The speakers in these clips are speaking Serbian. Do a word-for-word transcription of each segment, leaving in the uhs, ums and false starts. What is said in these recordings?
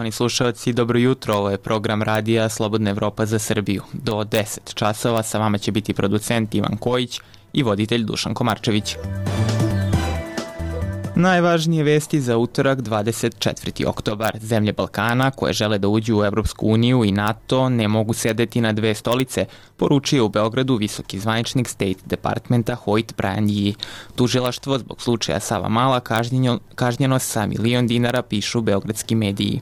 Poštovani slušalci, dobro jutro, ovo je program radija Slobodna Evropa za Srbiju. Do deset časova sa vama će biti producent Ivan Kojić i voditelj Dušan Komarčević. Najvažnije vesti za utorak dvadeset četvrti oktobar. Zemlje Balkana koje žele da uđu u Evropsku uniju i NATO ne mogu sedeti na dve stolice, poručio u Beogradu visoki zvaničnik State Departmenta Hoyt Brian Yee. Tužilaštvo zbog slučaja Savamala kažnjeno, kažnjeno sa milion dinara, pišu beogradski mediji.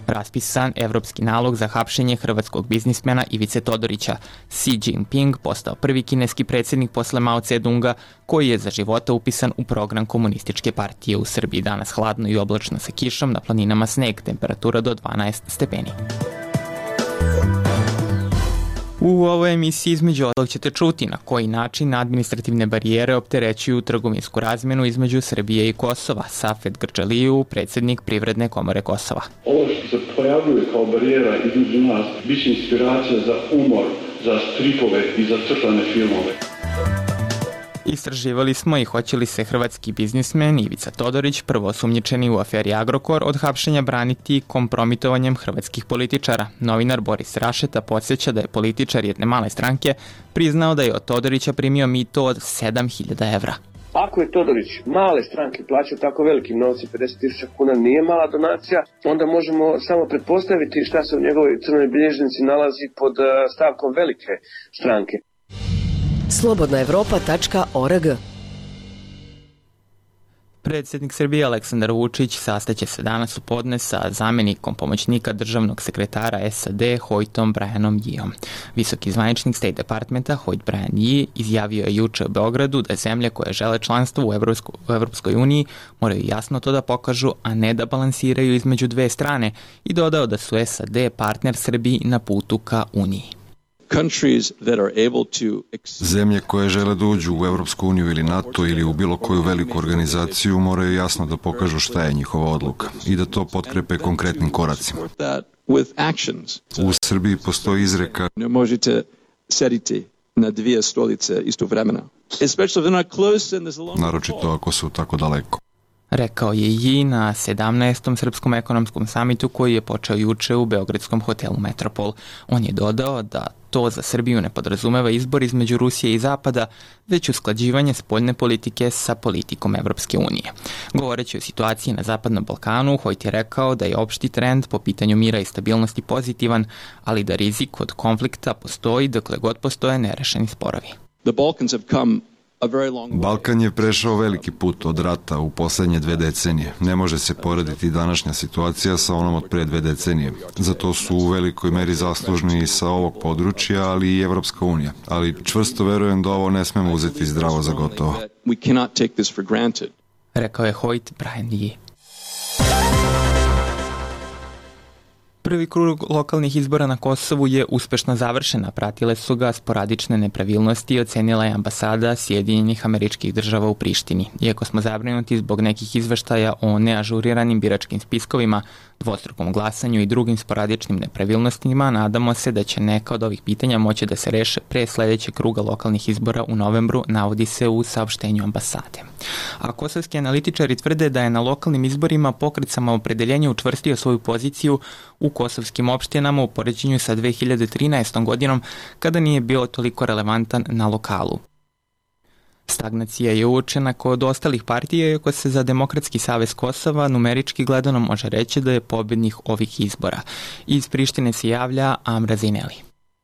Raspisan evropski nalog za hapšenje hrvatskog biznismena Ivice Todorića. Xi Jinping postao prvi kineski predsjednik posle Mao Tse-dunga koji je za života upisan u program komunističke partije. U Srbiji danas hladno i oblačno sa kišom, na planinama sneg, temperatura do dvanaest stepeni. U ovoj emisiji između ostalog ćete čuti na koji način administrativne barijere opterećuju trgovinsku razmenu između Srbije i Kosova. Safet Grčaliju, predsjednik Privredne komore Kosova. Ovo što se pojavljuje kao barijera između nas biće inspiracija za umor, za stripove i za crtane filmove. Istraživali smo i hoće li se hrvatski biznismen Ivica Todorić, prvo osumnjičeni u aferi Agrokor, od hapšenja braniti kompromitovanjem hrvatskih političara. Novinar Boris Rašeta podsjeća da je političar jedne male stranke priznao da je od Todorića primio mito od sedam hiljada evra. Ako je Todorić male stranke plaćao tako velikim novcem, pedeset tisuća kuna nije mala donacija, onda možemo samo pretpostaviti šta se u njegovoj crnoj bilježnici nalazi pod stavkom velike stranke. slobodna evropa tačka org. Predsjednik Srbije Aleksandar Vučić sastaće se danas u podne sa zamjenikom pomoćnika državnog sekretara S A D Hoytom Brianom Yeeom. Visoki zvaničnik State Departmenta Hoyt Brian Yee izjavio je juče u Beogradu da zemlje koje žele članstvo u, Evropsko, u Evropskoj uniji moraju jasno to da pokažu, a ne da balansiraju između dve strane, i dodao da su S A D partner Srbiji na putu ka Uniji. Zemlje koje žele da uđu u Evropsku uniju ili NATO ili u bilo koju veliku organizaciju moraju jasno da pokažu šta je njihova odluka i da to potkrepe konkretnim koracima. U Srbiji postoji izreka: ne možete sediti na dvije stolice istovremeno, naročito ako su tako daleko. Rekao je Yee na sedamnaestom Srpskom ekonomskom samitu koji je počeo juče u beogradskom hotelu Metropol. On je dodao da to za Srbiju ne podrazumeva izbor između Rusije i Zapada, već usklađivanje spoljne politike sa politikom Evropske unije. Govoreći o situaciji na Zapadnom Balkanu, Hoyt je rekao da je opšti trend po pitanju mira i stabilnosti pozitivan, ali da rizik od konflikta postoji dokle god postoje nerešeni sporovi. The Balkans have come Balkan je prešao veliki put od rata u poslednje dve decenije. Ne može se porediti današnja situacija sa onom od pre dve decenije. Zato su u velikoj meri zaslužni i sa ovog područja, ali i Evropska unija. Ali čvrsto verujem da ovo ne smemo uzeti zdravo za gotovo. Rekao je Hoyt Brian Yee. Prvi krug lokalnih izbora na Kosovu je uspešno završena, pratile su ga sporadične nepravilnosti i ocenila je ambasada Sjedinjenih Američkih Država u Prištini. Iako smo zabrinuti zbog nekih izveštaja o neažuriranim biračkim spiskovima, dvostrukom glasanju i drugim sporadičnim nepravilnostima, nadamo se da će neka od ovih pitanja moći da se reše pre sledećeg kruga lokalnih izbora u novembru, navodi se u saopštenju ambasade. A kosovski analitičari tvrde da je na lokalnim izborima pokret Samoopredeljenja učvrstio svoju poziciju u kosovskim opštinama u poređenju sa dve hiljade trinaestom godinom, kada nije bio toliko relevantan na lokalu. Stagnacija je uočena kod ostalih partija, iako se za Demokratski savez Kosova numerički gledano može reći da je pobednik ovih izbora. Iz Prištine se javlja Amra Zineli.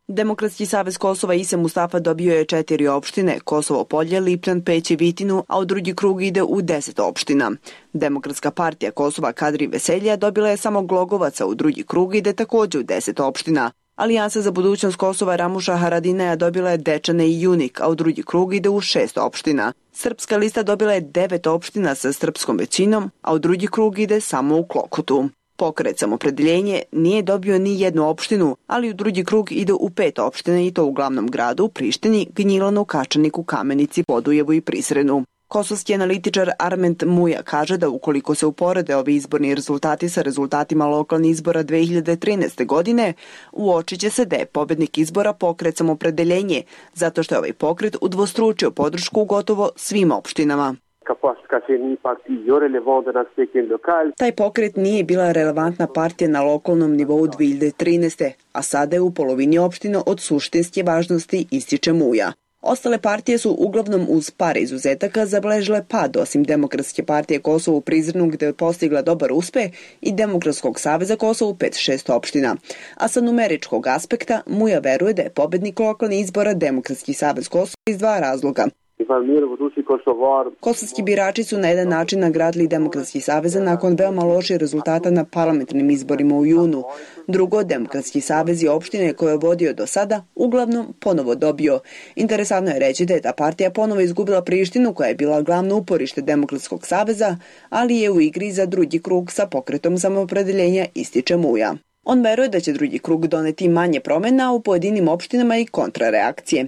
Demokratski savez Kosova Ise Mustafa dobio je četiri opštine, Kosovo Polje, Lipčan, Peć i Vitinu, a u drugi krug ide u deset opština. Demokratska partija Kosova Kadri Veselja dobila je samo Glogovaca, u drugi krug ide takođe u deset opština. Alijansa za budućnost Kosova Ramuša Haradineja dobila je Dečane i Junik, a u drugi krug ide u šest opština. Srpska lista dobila je devet opština sa srpskom većinom, a u drugi krug ide samo u Klokotu. Pokret Samopredeljenje nije dobio ni jednu opštinu, ali u drugi krug ide u pet opština i to u glavnom gradu, Prištini, Gnjilanu, Kačaniku, Kamenici, Podujevu i Prisrenu. Kosovski analitičar Arment Muja kaže da ukoliko se uporede ovi izborni rezultati sa rezultatima lokalnih izbora dve hiljade trinaeste. godine, uočit će se da je pobednik izbora pokret Samopredeljenje, zato što je ovaj pokret udvostručio podršku u gotovo svim opštinama. Taj pokret nije bila relevantna partija na lokalnom nivou dve hiljade trinaeste. a sada je u polovini opština od suštinske važnosti, ističe Muja. Ostale partije su uglavnom uz par izuzetaka zabeležile pad, osim Demokratske partije Kosovo u Prizrenu gde je postigla dobar uspeh i Demokratskog saveza Kosovo u pet šest opština. A sa numeričkog aspekta Muja veruje da je pobednik lokalnih izbora Demokratski savez Kosovo iz dva razloga. Kosovski birači su na jedan način nagradili Demokratski savez nakon veoma loših rezultata na parlamentarnim izborima u junu. Drugo, Demokratski savez i opštine koje je vodio do sada uglavnom ponovo dobio. Interesantno je reći da je ta partija ponovo izgubila Prištinu koja je bila glavno uporište Demokratskog saveza, ali je u igri za drugi krug sa pokretom samoopredeljenja, ističe Muja. On veruje da će drugi krug doneti manje promjena u pojedinim opštinama i kontrareakcije.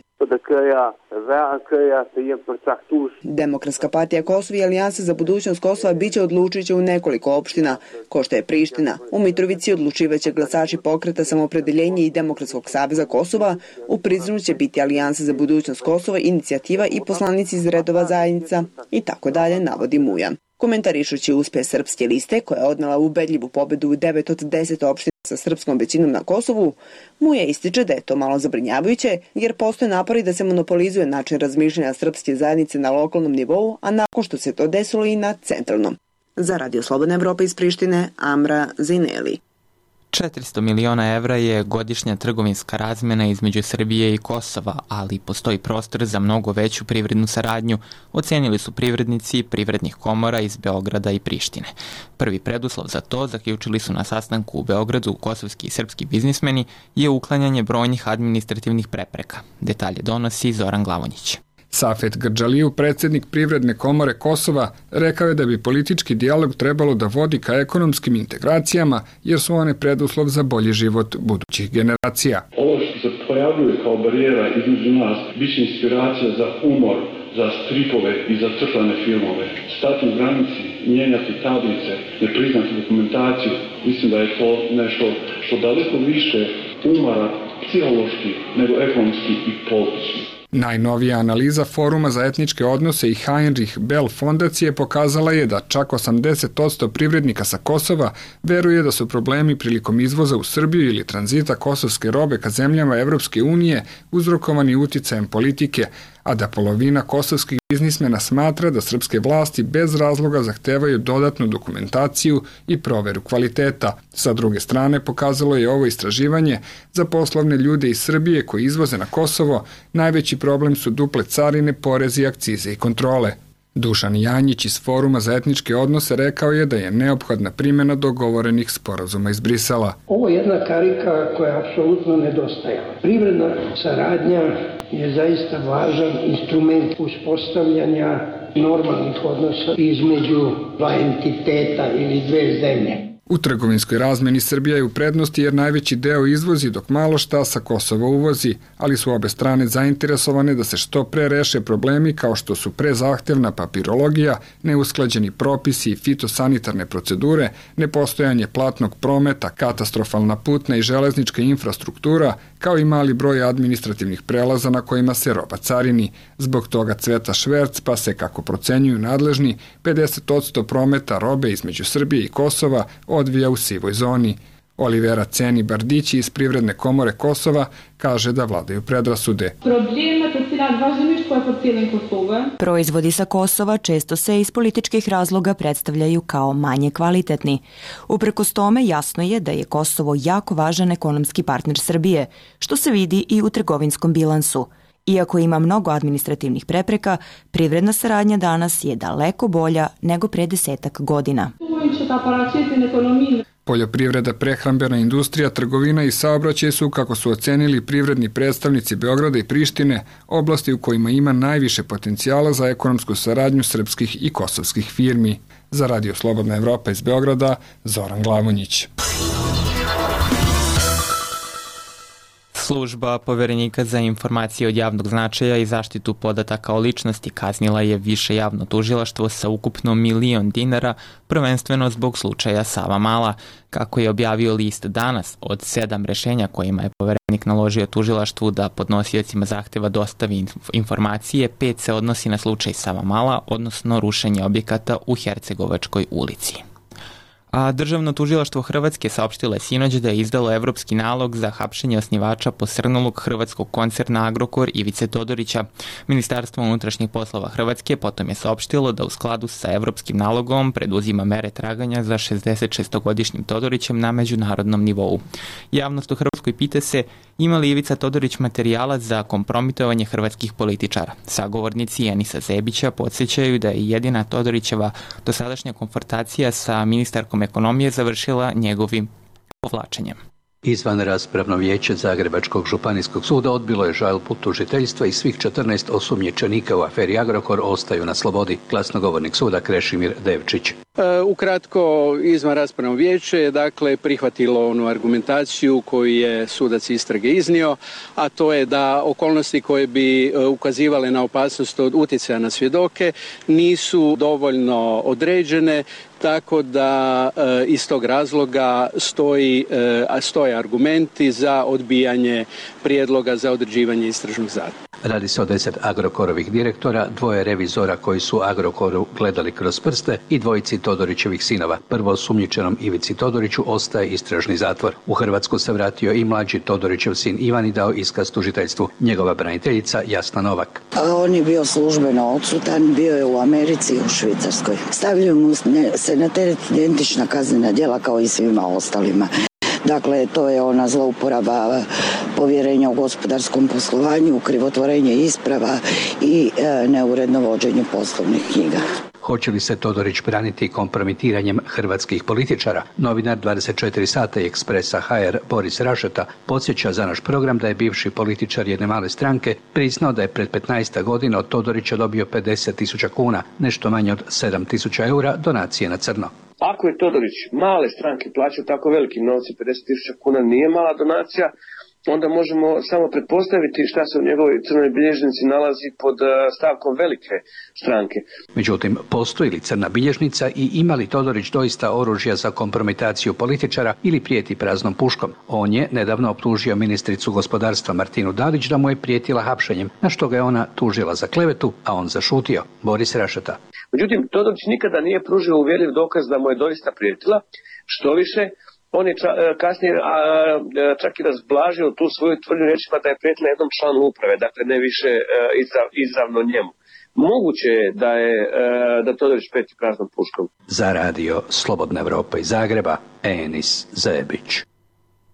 Demokratska partija Kosova i Alijansa za budućnost Kosova biće odlučiće u nekoliko opština, ko što je Priština. U Mitrovici odlučivaće glasači pokreta samoopredeljenja i Demokratskog saveza Kosova, u Prizrenu će biti Alijansa za budućnost Kosova, inicijativa i poslanici iz redova zajednica i tako dalje, navodi Muja. Komentarišući uspeh Srpske liste, koja je odnela ubedljivu pobedu u devet od deset opština sa srpskom većinom na Kosovu, Muja ističe da je to malo zabrinjavajuće, jer postoje napori da se monopolizuje način razmišljanja srpske zajednice na lokalnom nivou, a nakon što se to desilo i na centralnom. Za Radio Slobodna Evropa iz Prištine, Amra Zineli. četiristo miliona evra je godišnja trgovinska razmena između Srbije i Kosova, ali postoji prostor za mnogo veću privrednu saradnju, ocenili su privrednici privrednih komora iz Beograda i Prištine. Prvi preduslov za to, zaključili su na sastanku u Beogradu kosovski i srpski biznismeni, je uklanjanje brojnih administrativnih prepreka. Detalje donosi Zoran Glavonjić. Safet Grđaliju, predsjednik Privredne komore Kosova, rekao je da bi politički dijalog trebalo da vodi ka ekonomskim integracijama, jer su one preduslov za bolji život budućih generacija. Ovo što se pojavljuje kao barijera između nas, biće inspiracija za umor, za stripove i za crtane filmove. Stati u granici, mijenjati tablice, ne priznati dokumentaciju, mislim da je to nešto što daleko više umara psihološki nego ekonomski i politički. Najnovija analiza Foruma za etničke odnose i Heinrich Bell fondacije pokazala je da čak osamdeset posto privrednika sa Kosova veruje da su problemi prilikom izvoza u Srbiju ili tranzita kosovske robe ka zemljama Evropske unije uzrokovani uticajem politike, a da polovina kosovskih biznismena smatra da srpske vlasti bez razloga zahtevaju dodatnu dokumentaciju i proveru kvaliteta. Sa druge strane, pokazalo je ovo istraživanje za poslovne ljude iz Srbije koji izvoze na Kosovo, najveći problem su duple carine, porezi, akcize i kontrole. Dušan Janjić iz Foruma za etničke odnose rekao je da je neophodna primjena dogovorenih sporazuma iz Brisela. Ovo je jedna karika koja apsolutno nedostaje. Privredna saradnja je zaista važan instrument uspostavljanja normalnih odnosa između dva entiteta ili dve zemlje. U trgovinskoj razmeni Srbija je u prednosti jer najveći deo izvozi dok malo šta sa Kosova uvozi, ali su obe strane zainteresovane da se što pre reše problemi kao što su prezahtevna papirologija, neusklađeni propisi i fitosanitarne procedure, nepostojanje platnog prometa, katastrofalna putna i železnička infrastruktura, kao i mali broj administrativnih prelaza na kojima se roba carini. Zbog toga cveta šverc, pa se, kako procenjuju nadležni, pedeset posto prometa robe između Srbije i Kosova odvija u sivoj zoni. Olivera Ceni Bardići iz Privredne komore Kosova kaže da vladaju predrasude. Proizvodi sa Kosova često se iz političkih razloga predstavljaju kao manje kvalitetni. Uprkos tome jasno je da je Kosovo jako važan ekonomski partner Srbije, što se vidi i u trgovinskom bilansu. Iako ima mnogo administrativnih prepreka, privredna saradnja danas je daleko bolja nego pre desetak godina. Poljoprivreda, prehrambena industrija, trgovina i saobraćaj su, kako su ocenili privredni predstavnici Beograda i Prištine, oblasti u kojima ima najviše potencijala za ekonomsku saradnju srpskih i kosovskih firmi. Za Radio Slobodna Evropa iz Beograda, Zoran Glavonjić. Služba Poverenika za informacije od javnog značaja i zaštitu podataka o ličnosti kaznila je više javno tužilaštvo sa ukupno milion dinara, prvenstveno zbog slučaja Savamala. Kako je objavio list Danas, od sedam rešenja kojima je Poverenik naložio tužilaštvu da podnosiocima zahteva dostavi informacije, pet se odnosi na slučaj Savamala, odnosno rušenje objekata u Hercegovačkoj ulici. A Državno tužilaštvo Hrvatske saopštilo je sinoć da je izdalo evropski nalog za hapšenje osnivača posrnulog hrvatskog koncerna Agrokor Ivice Todorića. Ministarstvo unutrašnjih poslova Hrvatske potom je saopštilo da u skladu sa evropskim nalogom preduzima mere traganja za šezdesetšestogodišnjim Todorićem na međunarodnom nivou. Javnost u Hrvatskoj pita se ima li Ivica Todorić materijala za kompromitovanje hrvatskih političara. Sagovornici Enisa Zebića podsjećaju da je jedina Todorićeva dosadašnja konfrontacija sa ministarkom ekonomije završila njegovim povlačenjem. Izvanraspravno vijeće Zagrebačkog županijskog suda odbilo je žalbu tužiteljstva i svih četrnaest osumnjičenika u aferi Agrokor ostaju na slobodi. Glasnogovornik suda Krešimir Devčić. E, ukratko, izvanraspravno vijeće je dakle prihvatilo onu argumentaciju koju je sudac istrage iznio, a to je da okolnosti koje bi ukazivale na opasnost od utjecaja na svjedoke nisu dovoljno određene, tako da e, iz tog razloga stoji, e, stoje argumenti za odbijanje prijedloga za određivanje istražnog zatvora. Radi se o deset Agrokorovih direktora, dvoje revizora koji su Agrokoru gledali kroz prste i dvojici Todorićevih sinova. Prvo osumnjičenom Ivici Todoriću ostaje istražni zatvor. U Hrvatsku se vratio i mlađi Todorićev sin Ivan i dao iskaz tužiteljstvu. Njegova braniteljica Jasna Novak. A on je bio službeno odsutan, bio je u Americi i u Švicarskoj. Stavljaju mu se na teret identična kaznena djela kao i svima ostalima. Dakle, to je ona zlouporaba povjerenja u gospodarskom poslovanju, krivotvorenje isprava i e, neuredno vođenje poslovnih knjiga. Hoće li se Todorić braniti kompromitiranjem hrvatskih političara? Novinar dvadeset četiri sata i Ekspresa ha er Boris Rašeta podsjeća za naš program da je bivši političar jedne male stranke priznao da je pred petnaest godina od Todorića dobio pedeset tisuća kuna, nešto manje od sedam tisuća eura donacije na crno. Ako je Todorić male stranke plaćao tako velikim novcem, pedeset tisuća kuna nije mala donacija, onda možemo samo pretpostaviti šta se u njegovoj crnoj bilježnici nalazi pod stavkom velike stranke. Međutim, postoji li crna bilježnica i ima li Todorić doista oružja za kompromitaciju političara ili prijeti praznom puškom? On je nedavno optužio ministricu gospodarstva Martinu Dalić da mu je prijetila hapšenjem, na što ga je ona tužila za klevetu, a on zašutio. Boris Rašeta. Međutim, Todorić nikada nije pružio uvjerljiv dokaz da mu je doista prijetila, što više, on je ča, kasnije a, čak i razblažio tu svoju tvrdnju rečima da je prijetila jednom članu uprave, dakle ne više a, izrav, izravno njemu. Moguće je da je da Todorić prijeti praznom puškom. Za radio Slobodna Evropa iz Zagreba, Enis Zebić.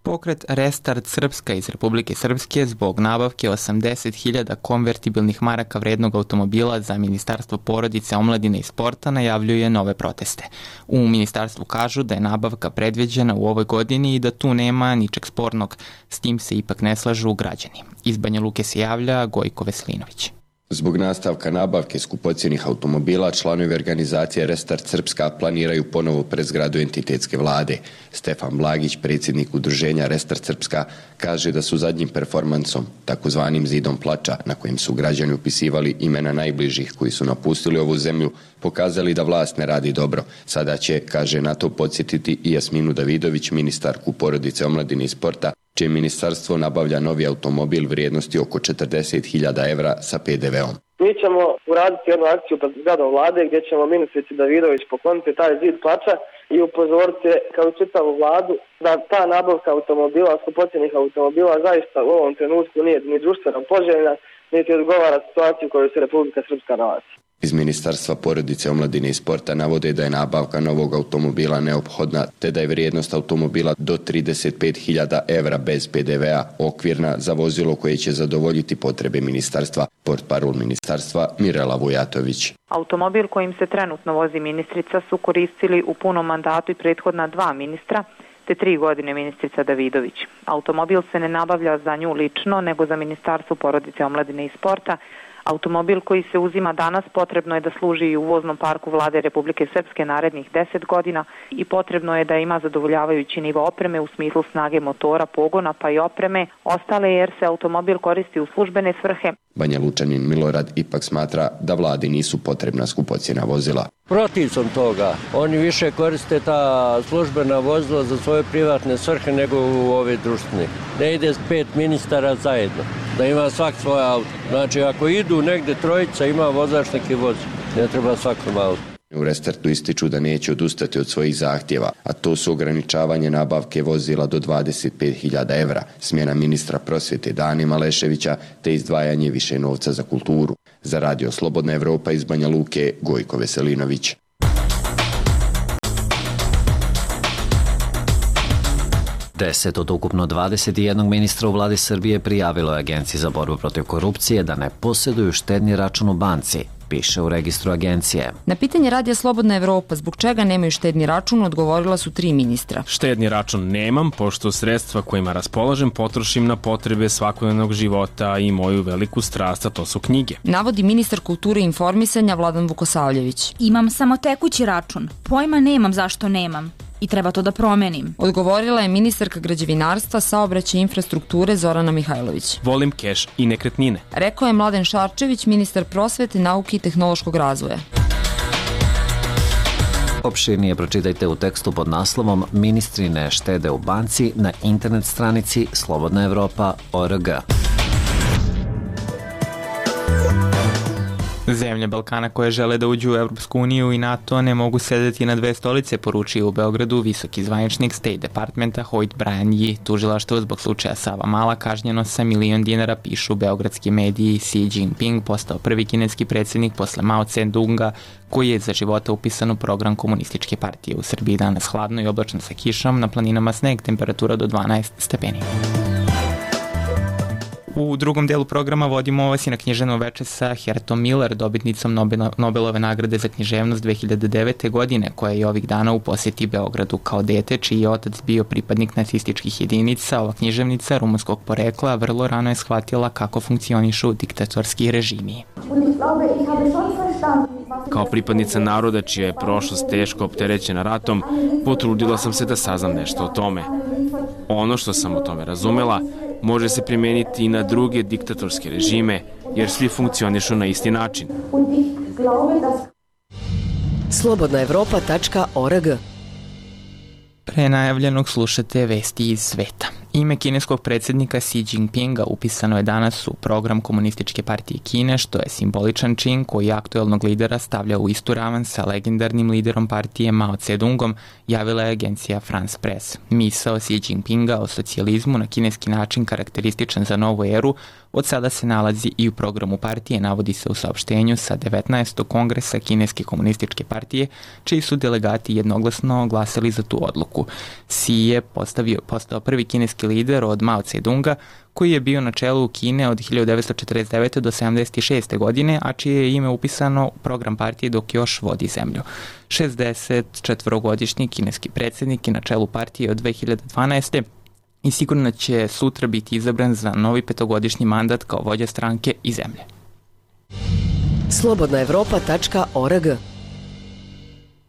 Pokret Restart Srpska iz Republike Srpske zbog nabavke osamdeset hiljada konvertibilnih maraka vrednog automobila za Ministarstvo porodice, omladine i sporta najavljuje nove proteste. U ministarstvu kažu da je nabavka predviđena u ovoj godini i da tu nema ničeg spornog. S tim se ipak ne slažu građani. Iz Banja Luke se javlja Gojko Veslinović. Zbog nastavka nabavke skupocjenih automobila, članovi organizacije Restart Srpska planiraju ponovo pred zgradu entitetske vlade. Stefan Blagić, predsjednik udruženja Restart Srpska, kaže da su zadnjim performansom, takozvanim zidom plača, na kojem su građani upisivali imena najbližih koji su napustili ovu zemlju, pokazali da vlast ne radi dobro. Sada će, kaže, na to podsjetiti i Jasminu Davidović, ministarku porodice, omladine i sporta, čije ministarstvo nabavlja novi automobil vrijednosti oko četrdeset hiljada evra sa pe de veom. Mi ćemo uraditi jednu akciju pred zgradom vlade gdje ćemo ministrici Davidović pokloniti taj zid plača i upozoriti kao čitavu vladu da ta nabavka automobila, skupocjenih automobila zaista u ovom trenutku nije ni društveno poželjna, niti odgovara situaciju u kojoj se Republika Srpska nalazi. Iz Ministarstva porodice, omladine i sporta navode da je nabavka novog automobila neophodna, te da je vrijednost automobila do trideset pet hiljada evra bez pe de vea okvirna za vozilo koje će zadovoljiti potrebe ministarstva. Portparol ministarstva Mirela Vujatović. Automobil kojim se trenutno vozi ministrica su koristili u punom mandatu i prethodna dva ministra, te tri godine ministrica Davidović. Automobil se ne nabavlja za nju lično, nego za Ministarstvo porodice, omladine i sporta, Automobil koji se uzima danas potrebno je da služi i u voznom parku Vlade Republike Srpske narednih deset godina i potrebno je da ima zadovoljavajući nivo opreme u smislu snage motora, pogona pa i opreme, ostale jer se automobil koristi u službene svrhe. Banja Lučanin Milorad ipak smatra da vladi nisu potrebna skupocjena vozila. Protiv sam toga. Oni više koriste ta službena vozila za svoje privatne svrhe nego u ove društvene. Ne ide pet ministara zajedno, da ima svak svoje auto. Znači ako idu negde trojica, ima vozač neki vozi. Ne treba svakom auto. U Restartu ističu da neće odustati od svojih zahtjeva, a to su ograničavanje nabavke vozila do dvadeset pet hiljada evra, smjena ministra prosvjete Dani Maleševića te izdvajanje više novca za kulturu. Za Radio Slobodna Evropa iz Banja Luke, Gojko Veselinović. Deset od ukupno dvadeset jedan ministra u vladi Srbije prijavilo je Agenciji za borbu protiv korupcije da ne posjeduju štedni račun u banci, piše u registru agencije. Na pitanje Radija Slobodna Evropa zbog čega nemaju štedni račun odgovorila su tri ministra. Štedni račun nemam, pošto sredstva kojima raspolažem potrošim na potrebe svakodnevnog života i moju veliku strast, a to su knjige. Navodi ministar kulture i informisanja Vladan Vukosavljević. Imam samo tekući račun, pojma nemam zašto nemam. I treba to da promenim. Odgovorila je ministarka građevinarstva, saobraćaja i infrastrukture Zorana Mihajlović. Volim keš i nekretnine. Rekao je Mladen Šarčević, ministar prosvete, nauke i tehnološkog razvoja. Opširnije pročitajte u tekstu pod naslovom Ministri ne štede u banci na internet stranici slobodna evropa tačka org. Zemlje Balkana koje žele da uđu u Evropsku uniju i NATO ne mogu sedeti na dve stolice, poručio u Beogradu visoki zvaničnik State Departmenta Hoyt Brian Yi. Tužilaštvo zbog slučaja Savamala kažnjeno sa milion dinara, pišu beogradski mediji. Xi Jinping postao prvi kineski predsjednik posle Mao Tse-dunga, koji je za života upisan u program komunističke partije. U Srbiji danas hladno i oblačno sa kišom, na planinama sneg, temperatura do dvanaest stepeni. U drugom delu programa vodimo vas i na književno veče sa Hertom Miller, dobitnicom Nobelove nagrade za književnost dve hiljade devete. godine, koja je ovih dana u posjeti Beogradu. Kao dete, čiji je otac bio pripadnik nacističkih jedinica, ova književnica rumunskog porekla vrlo rano je shvatila kako funkcionišu diktatorski režimi. Kao pripadnica naroda čija je prošlost teško opterećena ratom, potrudila sam se da saznam nešto o tome. Ono što sam o tome razumela može se primeniti i na druge diktatorske režime, jer svi funkcionišu na isti način. slobodna evropa tačka org. Pre najavljenog slušate vesti iz sveta. Ime kineskog predsjednika Xi Jinpinga upisano je danas u program Komunističke partije Kine, što je simboličan čin koji aktuelnog lidera stavlja u istu ravan sa legendarnim liderom partije Mao Tse-dungom, javila je agencija France Press. Misao Xi Jinpinga o socijalizmu na kineski način karakterističan za novu eru od sada se nalazi i u programu partije, navodi se u saopštenju sa devetnaestog kongresa Kineske komunističke partije, čiji su delegati jednoglasno glasali za tu odluku. Xi je postavio, postao prvi kineski lider od Mao Tse-dunga, koji je bio na čelu Kine od hiljadu devetsto četrdeset devete. do sedamdeset šeste. godine, a čije je ime upisano u program partije dok još vodi zemlju. šezdeset četvorogodišnji kineski predsjednik je na čelu partije od dve hiljade dvanaeste. i sigurno će sutra biti izabran za novi petogodišnji mandat kao vođa stranke i zemlje. slobodna evropa tačka org.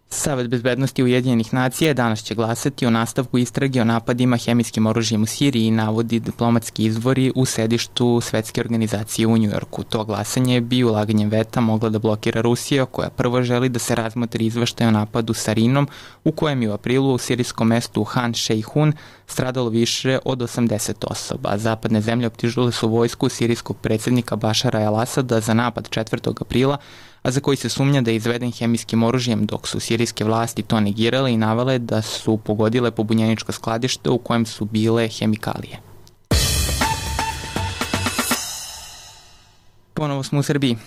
Savet bezbednosti Ujedinjenih nacija danas će glasati o nastavku istrage o napadima hemijskim oružjem u Siriji, navodi diplomatski izvori u sedištu Svetske organizacije u Njujorku. To glasanje bi ulaganjem veta mogla da blokira Rusija, koja prvo želi da se razmotri izveštaj o napadu Sarinom, u kojem je u aprilu u sirijskom mestu Han Šejhun stradalo više od osamdeset osoba. Zapadne zemlje optužile su vojsku sirijskog predsjednika Bašara el-Asada za napad četvrtog aprila, a za koji se sumnja da je izveden hemijskim oružjem, dok su sirijske vlasti to negirale i navele da su pogodile pobunjeničko skladište u kojem su bile hemikalije. Ponovo smo u Srbiji.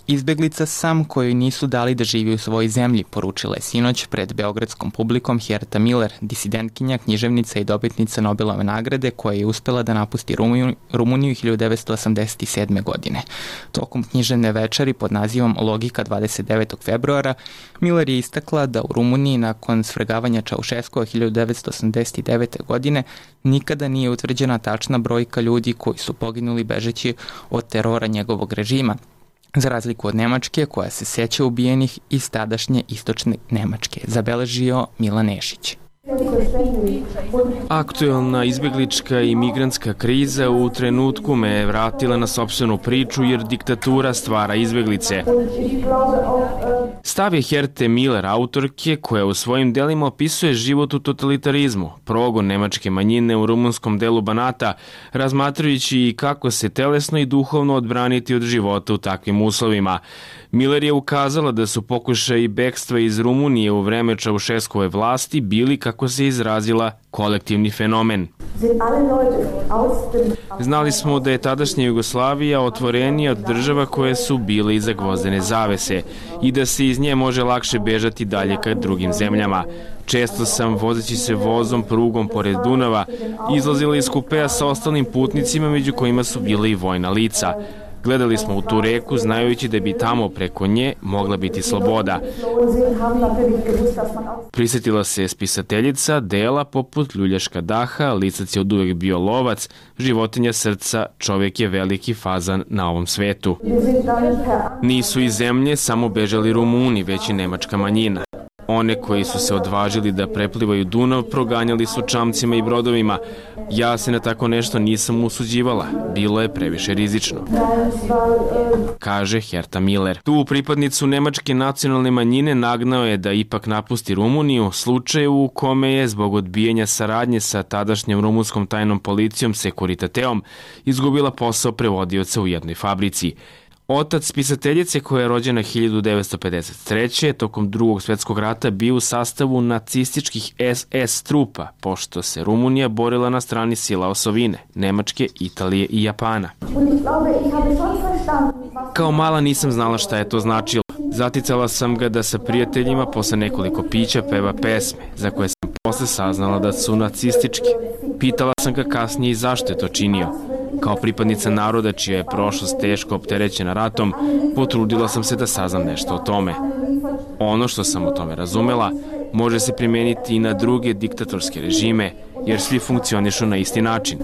Izbeglica sam kojoj nisu dali da živi u svojoj zemlji, poručila je sinoć pred beogradskom publikom Herta Miller, disidentkinja, književnica i dobitnica Nobelove nagrade koja je uspela da napusti Rumuniju, Rumuniju hiljadu devetsto osamdeset sedme. godine. Tokom književne večeri pod nazivom Logika dvadeset devetog februara, Miller je istakla da u Rumuniji nakon svrgavanja Čaušeskova hiljadu devetsto osamdeset devete. godine nikada nije utvrđena tačna brojka ljudi koji su poginuli bežeći od terora njegovog režima, za razliku od Nemačke koja se seća ubijenih iz tadašnje istočne Nemačke, zabeležio Milan Nešić. Aktuelna izbeglička i migrantska kriza u trenutku me je vratila na sopstvenu priču jer diktatura stvara izbeglice. Stav je Herte Miller, autorke koja u svojim delima opisuje život u totalitarizmu, progon nemačke manjine u rumunskom delu Banata, razmatrajući i kako se telesno i duhovno odbraniti od života u takvim uslovima. Miller je ukazala da su pokušaji bekstva iz Rumunije u vreme Čaušeskove vlasti bili, kako se izrazila, kolektivni fenomen. Znali smo da je tadašnja Jugoslavija otvorenija od država koje su bile iza gvozdene zavese i da se iz nje može lakše bežati dalje ka drugim zemljama. Često sam, vozeći se vozom prugom pored Dunava, izlazila iz kupea sa ostalim putnicima, među kojima su bile i vojna lica. Gledali smo u tu reku, znajući da bi tamo preko nje mogla biti sloboda. Prisjetila se spisateljica dela poput Ljuljaška daha, Lisac je od uvek bio lovac, Životinja srca, Čovjek je veliki fazan na ovom svetu. Nisu iz zemlje samo bežali Rumuni, već i nemačka manjina. One koji su se odvažili da preplivaju Dunav proganjali su čamcima i brodovima. Ja se na tako nešto nisam usuđivala, bilo je previše rizično, kaže Herta Miller. Tu pripadnicu nemačke nacionalne manjine nagnao je da ipak napusti Rumuniju, slučaju u kome je zbog odbijanja saradnje sa tadašnjom rumunskom tajnom policijom Securitateom izgubila posao prevodioca u jednoj fabrici. Otac spisateljice, koja je rođena hiljadu devetsto pedeset treće. tokom drugog svjetskog rata bio u sastavu nacističkih es es trupa, pošto se Rumunija borila na strani sila osovine, Nemačke, Italije i Japana. Kao mala nisam znala šta je to značilo. Zaticala sam ga da sa prijateljima posle nekoliko pića peva pesme, za koje sam posle saznala da su nacističke. Pitala sam ga kasnije i zašto je to činio. Kao pripadnica naroda čija je prošlost teško opterećena ratom, potrudila sam se da saznam nešto o tome. Ono što sam o tome razumela može se primeniti i na druge diktatorske režime, jer svi funkcionišu na isti način,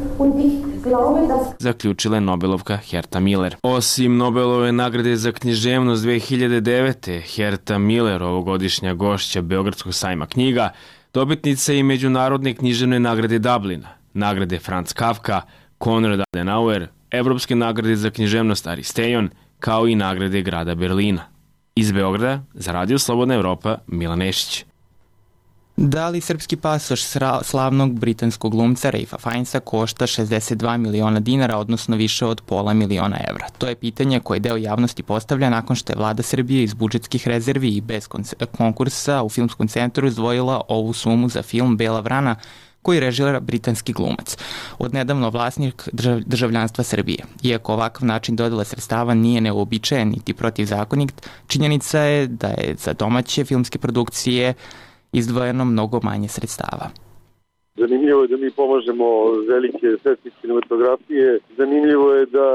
zaključila je Nobelovka Herta Miller. Osim Nobelove nagrade za književnost dve hiljade devete. Herta Miller, ovogodišnja gošća Beogradskog sajma knjiga, dobitnica je i Međunarodne književne nagrade Dublina, nagrade Franz Kafka, Konrad Adenauer, Evropske nagrade za književnost Aristejon, kao i nagrade grada Berlina. Iz Beograda, za Radio Slobodna Evropa, Milan Nešić. Da li srpski pasoš slavnog britanskog glumca Ralpha Fiennesa košta šezdeset dva miliona dinara, odnosno više od pola miliona evra? To je pitanje koje deo javnosti postavlja nakon što je vlada Srbije iz budžetskih rezervi i bez konkursa u Filmskom centru izdvojila ovu sumu za film Bela vrana, koji režira britanski glumac, odnedavno vlasnik državljanstva Srbije. Iako ovakav način dodela sredstava nije neuobičajen niti protivzakonit, činjenica je da je za domaće filmske produkcije izdvojeno mnogo manje sredstava. Zanimljivo je da mi pomažemo velike svetske kinematografije. Zanimljivo je da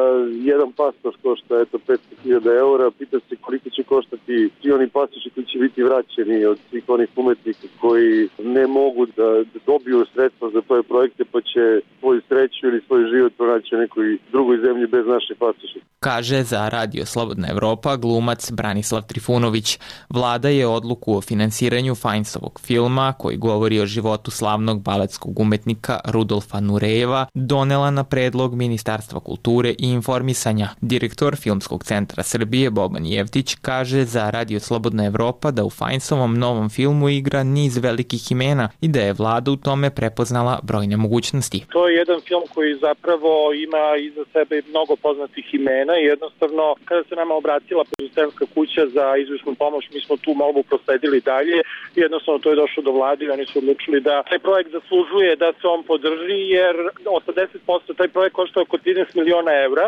jedan pasoš košta eto petsto hiljada eura. Pita se koliko će koštati svi oni pasoši koji će biti vraćeni od svih onih umetnika koji ne mogu da dobiju sredstva za svoje projekte, pa će svoju sreću ili svoj život pronaći u nekoj drugoj zemlji bez naše pasoše. Kaže za Radio Slobodna Evropa glumac Branislav Trifunović. Vlada je odluku o finansiranju Fiennesovog filma, koji govori o životu slavnog baletskog umetnika Rudolfa Nurejeva, donela na predlog Ministarstva kulture i informisanja. Direktor Filmskog centra Srbije Boban Jevtić kaže za Radio Slobodna Evropa da u Fiennesovom novom filmu igra niz velikih imena i da je vlada u tome prepoznala brojne mogućnosti. To je jedan film koji zapravo ima iza sebe mnogo poznatih imena i jednostavno kada se nama obratila producentska kuća za izvršnu pomoć, mi smo tu molbu prosledili dalje i jednostavno to je došlo do vlade i oni su odlučili da taj projekt zaslužuje da se on podrži, jer osamdeset posto taj projekt košta oko trinaest miliona evra,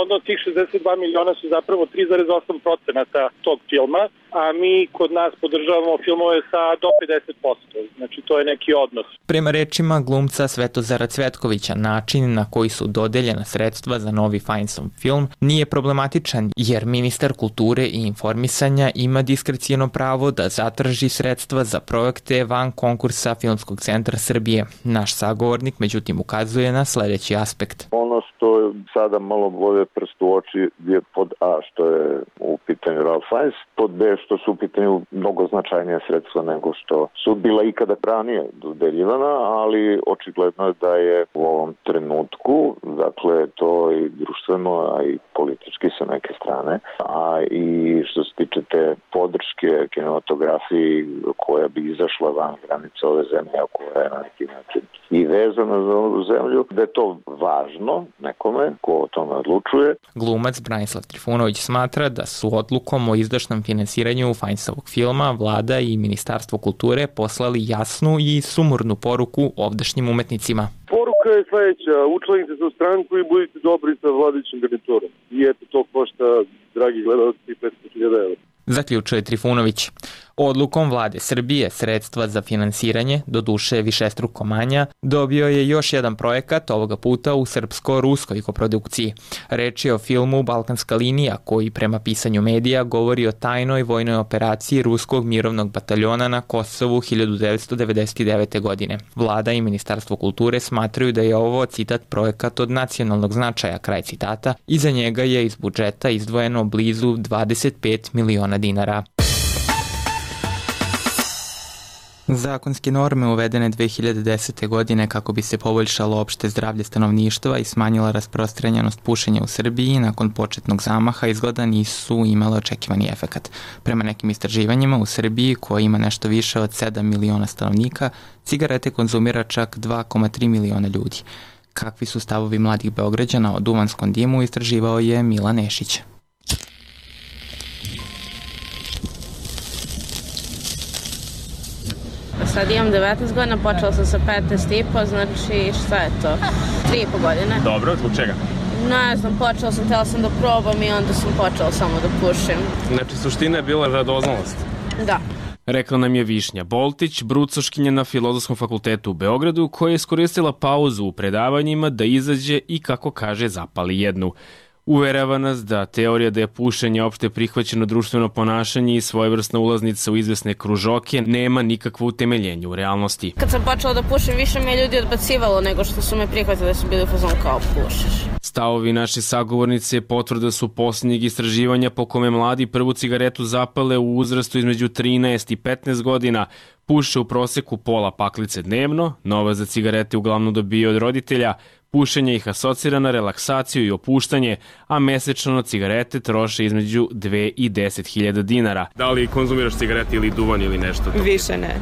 onda tih šezdeset dva miliona su zapravo tri zarez osam procenta tog filma, a mi kod nas podržavamo filmove sa do pedeset posto, znači to je neki odnos. Prema rečima glumca Svetozara Cvetkovića, način na koji su dodeljena sredstva za novi Fiennessov film nije problematičan, jer ministar kulture i informisanja ima diskrecijono pravo da zatraži sredstva za projekte van konkursa Filmskog centra Srbije. Naš sagovornik međutim ukazuje na sledeći aspekt. Ono ono što sada malo bode prst u oči je pod A što je u pitanju Ralph Fiennes, pod B što su u pitanju mnogo značajnije sredstva nego što su bila ikada ranije dodeljivana, ali očigledno je da je u ovom trenutku, dakle to i društveno, a i politički sa neke strane, a i što se tiče te podrške kinematografiji koja bi izašla van granice ove zemlje, a koja je na neki način i vezana za ovu zemlju, da je to važno nekome ko o tome odlučuje. Glumac Branislav Trifunović smatra da su odlukom o izdašnom finansiranju Fiennesovog filma vlada i Ministarstvo kulture poslali jasnu i sumornu poruku ovdašnjim umetnicima. Poruka je sledeća, učlanite se u stranku i budite dobri sa vladajućim garniturom. I eto, to košta, dragi gledalci, petsto hiljada evra. Zaključuje Trifunović. Odlukom vlade Srbije sredstva za finansiranje, do duše višestruko manja, dobio je još jedan projekat, ovoga puta u srpsko-ruskoj koprodukciji. Reč je o filmu Balkanska linija, koji prema pisanju medija govori o tajnoj vojnoj operaciji ruskog mirovnog bataljona na Kosovu hiljadu devetsto devedeset devete. godine. Vlada i Ministarstvo kulture smatraju da je ovo, citat, projekat od nacionalnog značaja, kraj citata, i za njega je iz budžeta izdvojeno blizu dvadeset pet miliona dinara. Zakonske norme uvedene dve hiljade desete. godine kako bi se poboljšalo opšte zdravlje stanovništva i smanjila rasprostranjenost pušenja u Srbiji nakon početnog zamaha izgleda nisu imale očekivani efekat. Prema nekim istraživanjima u Srbiji, koja ima nešto više od sedam miliona stanovnika, cigarete konzumira čak dva zarez tri miliona ljudi. Kakvi su stavovi mladih Beograđana o duvanskom dimu istraživao je Milan Nešić. Sad imam devetnaest godina, počela sam sa petnaest i po, znači šta je to? tri i po godine. Dobro, zbog čega? Ne znam, počela sam, htjela sam da probam i onda sam počela samo da pušim. Znači, suština je bila radoznalost? Da. Rekla nam je Višnja Boltić, brucoškinja na Filozofskom fakultetu u Beogradu, koja je iskoristila pauzu u predavanjima da izađe i, kako kaže, zapali jednu. Uverava nas da teorija da je pušenje opšte prihvaćeno društveno ponašanje i svojevrsna ulaznica u izvesne kružoke nema nikakvo utemeljenje u realnosti. Kad sam počela da pušim, više me ljudi odbacivalo nego što su me prihvatili da su bili u fazonu kao pušiš. Stavovi naše sagovornice potvrda su posljednjeg istraživanja po kome mladi prvu cigaretu zapale u uzrastu između trinaest i petnaest godina, puše u proseku pola paklice dnevno, novac za cigarete uglavnom dobije od roditelja, pušenje ih asocira na relaksaciju i opuštanje, a mesečno na cigarete troše između dve i deset hiljada dinara. Da li konzumiraš cigarete ili duvan ili nešto? Više ne.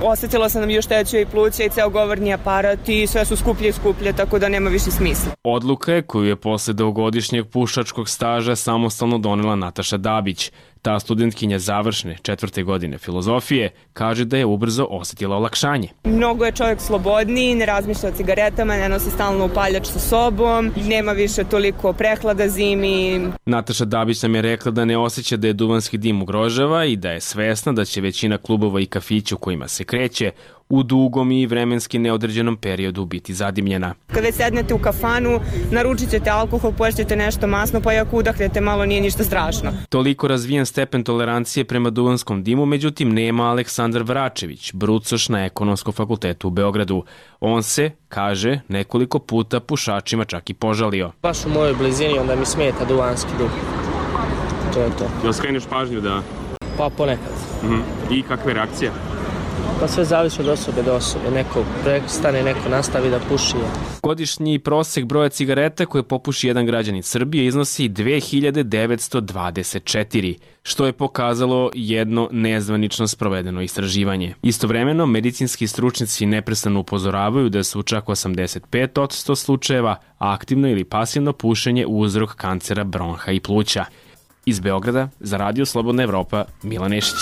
Osetila sam da mi još tećuje i pluća i ceo govorni aparat i sve su skuplje i skuplje, tako da nema više smisla. Odluka je koju je posle dvogodišnjeg pušačkog staža samostalno donela Nataša Dabić. Ta studentkinja završne četvrte godine filozofije kaže da je ubrzo osetila olakšanje. Mnogo je čovjek slobodniji, ne razmišlja o cigaretama, ne nosi stalno upaljač sa sobom, nema više toliko prehlada zimi. Nataša Dabić nam je rekla da ne osjeća da je duvanski dim ugrožava i da je svesna da će većina klubova i kafića u kojima se kreće u dugom i vremenski neodređenom periodu biti zadimljena. Kada sednete u kafanu, naručit ćete alkohol, poješćete nešto masno, pa i ako udahnete malo nije ništa strašno. Toliko razvijen stepen tolerancije prema duvanskom dimu, međutim nema Aleksandar Vračević, brucoš na Ekonomskom fakultetu u Beogradu. On se, kaže, nekoliko puta pušačima čak i požalio. Baš u mojoj blizini onda mi smeta duvanski duh. To je to. Jel skreneš pažnju da... Pa ponekad. Mm-hmm. I kakve reakcije? Pa sve zavisi od osobe do osobe. Neko prestane, neko nastavi da puši. Godišnji prosek broja cigareta koje popuši jedan građanin Srbije iznosi dve hiljade devetsto dvadeset četiri, što je pokazalo jedno nezvanično sprovedeno istraživanje. Istovremeno, medicinski stručnjaci neprestano upozoravaju da su čak osamdeset pet posto slučajeva aktivno ili pasivno pušenje uzrok kancera bronha i pluća. Iz Beograda, za Radio Slobodna Evropa, Milan Nešić.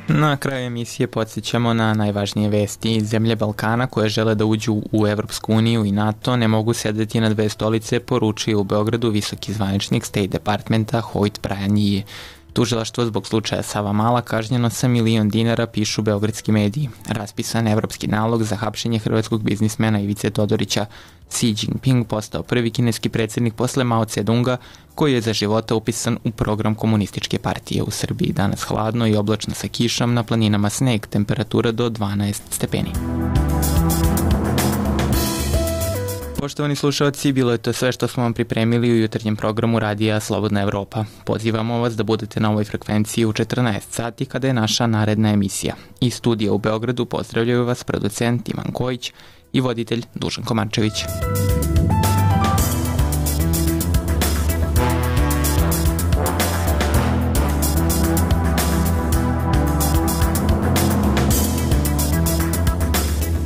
Na kraju emisije podsjećamo na najvažnije vesti. Zemlje Balkana koje žele da uđu u Evropsku uniju i NATO ne mogu sedeti na dve stolice, poručio u Beogradu visoki zvaničnik State Departmenta Hoyt Bryan Yee. Tužilaštvo zbog slučaja Savamala kažnjeno sa milion dinara, pišu beogradski mediji. Raspisan evropski nalog za hapšenje hrvatskog biznismena Ivice Todorića. Xi Jinping postao prvi kineski predsjednik posle Mao Tse-dunga, koji je za života upisan u program komunističke partije. U Srbiji danas hladno i oblačno sa kišom, na planinama sneg, temperatura do dvanaest stepeni. Poštovani slušalci, bilo je to sve što smo vam pripremili u jutarnjem programu Radija Slobodna Evropa. Pozivamo vas da budete na ovoj frekvenciji u četrnaest sati kada je naša naredna emisija. Iz studija u Beogradu pozdravljaju vas producent Ivan Kojić i voditelj Dušan Komančević.